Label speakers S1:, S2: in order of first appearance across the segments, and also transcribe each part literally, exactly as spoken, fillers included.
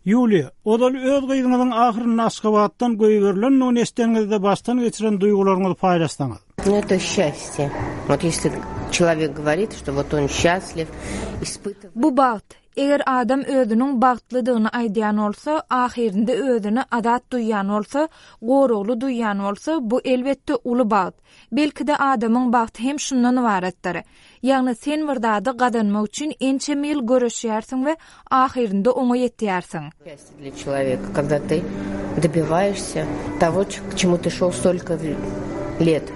S1: Юлия, odal öz gıydyňyzyň ahyryn Aşgabatdan göýberilen nuň esteniňizde baştan geçiren duýgularyňyzy paýlaşsaňyz.
S2: Ну, это счастье. Вот если человек говорит, что вот он счастлив, испытывает...
S3: Bu baht. Eger adam özüniň bagtlydygyny aýdýan bolsa, ahirinde özüni adat duýan bolsa, gorugly duýan bolsa, bu elbetde uly baht. Belki-de adamyň bagty hem şundan ibaretdir. Ýagny sen birdada gadanmak üçin ençe mil görüşýärsiň we ahirinde oňa ýetýärsiň.
S2: Счастье для человека, когда ты добиваешься того, к чему ты шел столько лет.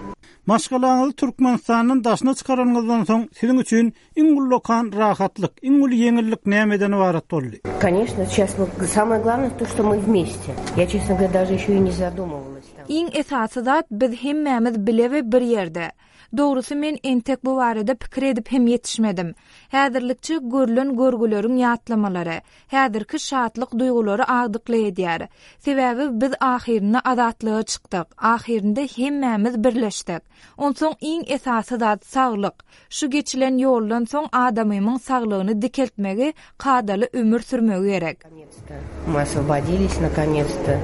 S1: Maşgalaňyzy Türkmenistanyň daşyna çykaranyňyzdan soň siziň üçin iň ullukan rahatlyk, iň ul yeňillik nämeden ibaret boldy?
S2: Конечно, сейчас мы, самое главное то, что мы вместе. Я, честно говоря, даже еще и не задумывалась там.
S3: Iň esasy zat biz hemmämiz bilebe bir ýerde. Dogrusu men entek bu barada pikir edip hem yetişmedim. Häzirlikçi görülen görgüleriň ýatlamalary, häzirki şatlyk duýgulary agdykly edýär. Sebäbi biz ahirine adatlyga çykdyk. Ahirinde hemmämiz birleşdik. Onsoň iň esasy zat saglyk. Şu geçilen ýoldan soň adamyň saglygyny dikeltmegi, kadaly ömür sürmegi gerek.
S2: Мы освободились наконец-то.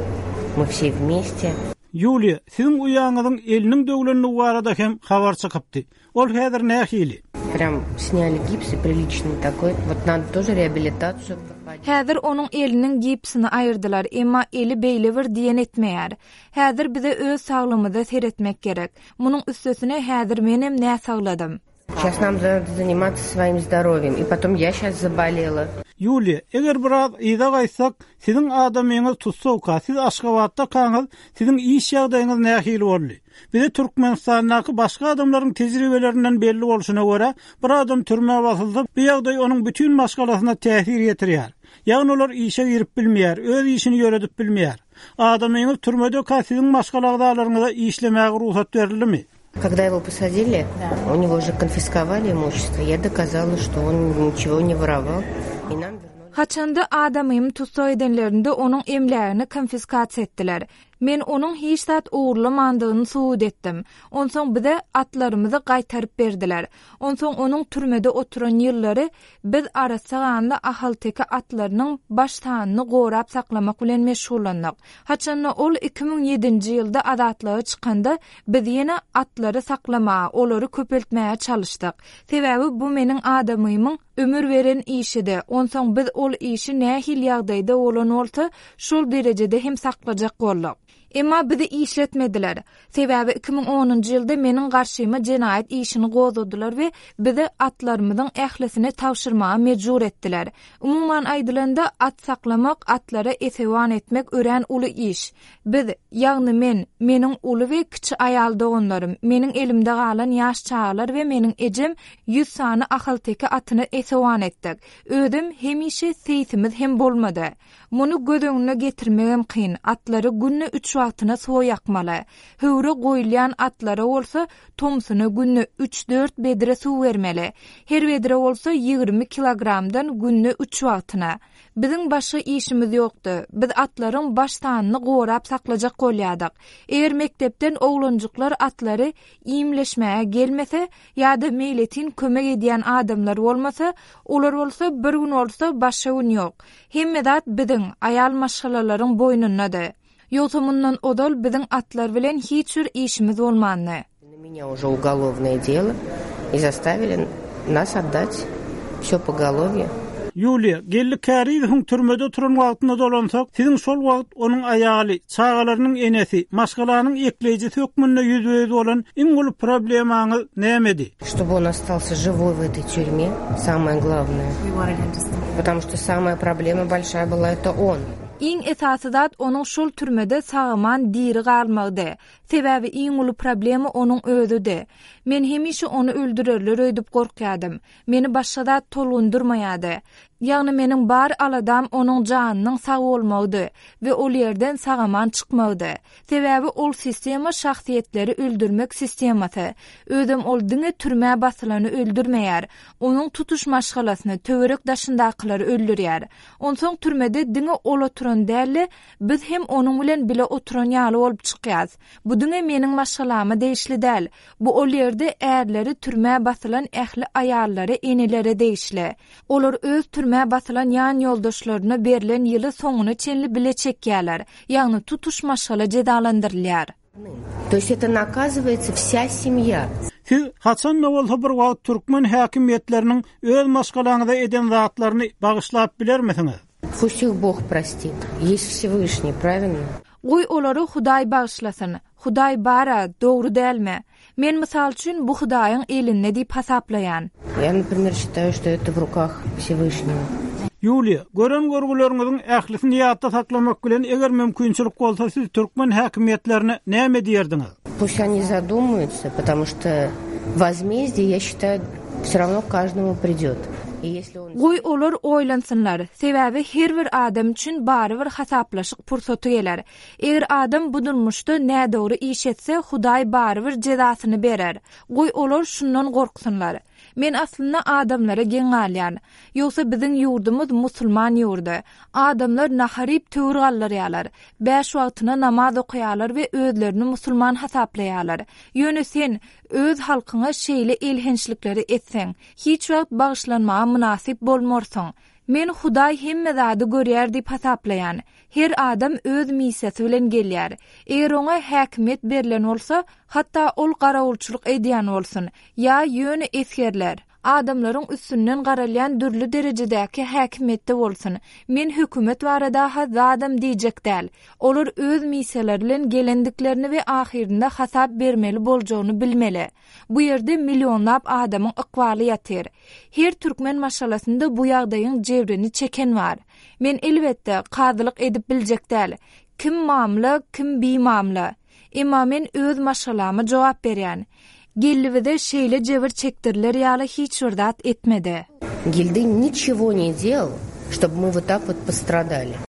S2: Мы все вместе.
S1: Юлия, siziň uýaňyzyň eliniň döwlenini barada hem habar çykypdy. Ol häzir nähili?
S2: Прям сняли гипс и приличный такой. Вот надо тоже реабилитацию проходить.
S3: Häzir onuň eliniň gipsini aýyrdylar, emma eli beýle bir diýen etmeýär. Häzir bize öz saglymyzda seretmek gerek. Munyň üstesine häzir menem nä sagladym.
S2: Сейчас нам надо заниматься своим здоровьем. И потом я сейчас заболела.
S1: Юлия, eger biraz ýa-da gaýsak, siziň adamyňyz tutsowka, siz Aşgabatda kaňyz, siziň iş ýagdaýyňyz nähili boldy? Bize Türkmenistanyňky başga adamlaryň tejribelerinden belli bolşuna görä, bir adam türmäge basyldy, bu ýagdaý onuň bütün maşgalasyna täsir ýetirýär. Ýagny olar işe girip bilmeýär, öz işini ýöredip bilmeýär. Adamyňyz türmede siziň maşgalagdaýlaryňyza işlemäge ruhsat berilimi?
S2: Когда его посадили, да. У него уже конфисковали имущество. Я доказала, что он ничего не воровал. И нам вернули.
S3: Haçanda adamym tutsa edenlerinde onuň emlärini konfiskasiýa etdiler. Men onuň hiç zat uğurlamadygyny suwd etdim. Onsoň bize atlarymyzy gaýtaryp berdiler. Onsoň onuň türmede oturan ýyllary biz arasaganda ahal-teke atlarynyň baştanyny gorap saklamak bilen meşgullandyk. Haçanda ol iki ming ýedinji ýylda adatlyga çykanda biz ýene atlary saklama, olary köpeltmäge çalışdyk. Sebäbi bu meniň adamymyň ömür veren işidi. Onsoň biz ol işi nähil ýagdaýda bolan bolsa, şol derejede hem saklajak boldyk. Emma bizi işletmediler. Sebäbi iki ming onunji ýylda meniň garşyma jenaýat işini gozadylar we bizi atlarymyzyň ählisini tawşyrmaga mejbur etdiler. Umumyň aýdylanda at saklamak, atlara esewan etmek ören uly iş. Biz, ýagny men, meniň uly we kiçi aýal doganlarym, meniň elimde galan ýaş çağlar we meniň ejem ýüz sany ahal-teke atyny esewan etdik. Ödüm hemişe seýtimiz hem bolmady. Muny gödöňüne getirmegem kyn. Atlary günne üç wagtyna sow ýakmaly. Höwre goýulýan atlara bolsa, tomsuny günne üç dört bedre suw bermeli. Her bedre bolsa ýygrimi kilogramdan günne üç wagtyna. Biziň başga işimiz ýokdy. Biz atlaryň baştanyny gorap saklajak bolýardyk. Eger mektepden oglanjyklar atlary iýimleşmäge gelmese ýa-da meýletin kömek edýän adamlar bolmasa, olar bolsa bir gün bolsa başga gün ýok. Hemme zat biziň aýal maşgalalaryň boýnundadyr. Ýoksa mundan odal biziň atlar bilen hiç bir işimiz bolmany.
S2: На меня уже уголовное дело и заставили нас отдать всё поголовье.
S1: Юлия, gelli käriýiň türmede turan wagtynda dolansak, siziň şol wagt onuň aýaly, çağalarynyň enesi, maşgalanyň ekleýiji sökmünde ýüzüýüz bolan iň ulu problemaňyz nämedi?
S2: Чтобы он остался живой в этой тюрьме, самое главное. Потому что самая проблема большая была это он.
S3: Iň esasy zat onuň şol türmede sagaman diri galmagdy. Sebäbi iň uly problemi onuň özüdi. Men hemişe onu öldürerler öýdüp gorkýadym. Meni başga zat tolundurmaýady. Ýagny meniň bar aladam onuň janynyň sag bolmagydy we ol ýerden sagaman çykmagydy. Sebäbi ol sistema şahsiýetleri öldürmek sistemasy. Ödüm ol diňe türmä basylany öldürmeýär. Onuň tutuş maşgalasyny töwerek daşyndakylary öldürýär. Onsoň türmede diňe ola turan däli biz hem onuň bilen bile oturan ýaly bolup çykýas. Bu diňe meniň maşgalamy değişli däl. Bu ol ýerde erleri türmä basylan ähli aýallary enelere değişli. Olar öz türmä basylan ýan ýoldaşlaryna berilen ýyly soňuny çenli bile çekýärler. Ýagny tutuş maşgala jedalandyrylýar.
S2: То есть это наказывается вся семья.
S1: Siz haçan bolsa bir wagt türkmen häkimiýetleriniň öz maşgalaňyda eden zatlaryny bagyşlap bilermisiňiz?
S2: Пусть их Бог простит. Есть Всевышний, правильно?
S3: Goý olary Hudaý bagyşlasyn. Hudaý bara, dogry dälmi? Men mysal üçin bu Hudaýyň elinde diýip hasaplaýan.
S2: Я, например, считаю, что это в руках Всевышнего.
S1: Юлия, gören görgüleriňiziň ählisini ýatda saklamak bilen eger mümkinçilik bolsa siz türkmen häkimiýetlerine näme diýerdiňiz?
S2: Пусть они задумаются, потому что возмездие, я считаю, все равно каждому придет. И если он...
S3: Goý olar oýlansynlar. Sebäbi her bir adam üçin bary bir hasaplaşyk pursaty geler. Eger adam bu durmuşda nädogry iş etse, Hudaý bary bir jedasyny berer. Goý olar şundan gorksynlar. Men aslında adamlara geňalýan. Ýogsa biziň ýurdumyz musulman ýurdy. Adamlar naharyp töwür gallarýarlar. Beş wagtyna namaz okuýarlar we özlerini musulman hasaplaýarlar. Ýöne sen öz halkyňa şeýle elhençlikleri etseň, hiç wagt bagyşlanmaga münasip bolmarsyň. Men Hudaý hemme zady görýär diýip hasaplaýan. Her adam öz misesi bilen gelýär. Eger oňa häkimiýet berilen bolsa, hatda ol garawulçylyk edýän bolsun, ýa ýöne esgerler. Adamlaryň üstünden garalýan dürli derejedäki häkimiýetde bolsun. Men hökümet barada hazadam diýjek däl. Olar öz miseleri bilen gelendiklerini we ahirinde hasap bermeli boljagyny bilmeli. Bu ýerde millionlap adamyň ykbaly ýatyr. Her türkmen maşgalasynda bu ýagdaýyň jebrini çeken bar. Men elbetde qadylyk edip biljek däl. Kim mamla, kim bimamla. Emma men öz maşgalama jogap berýän. Gellivide şeýle jebir çekdirler ýaly hiç wurdat etmedi.
S2: Гильды ничего не делал, чтобы мы вот так вот пострадали.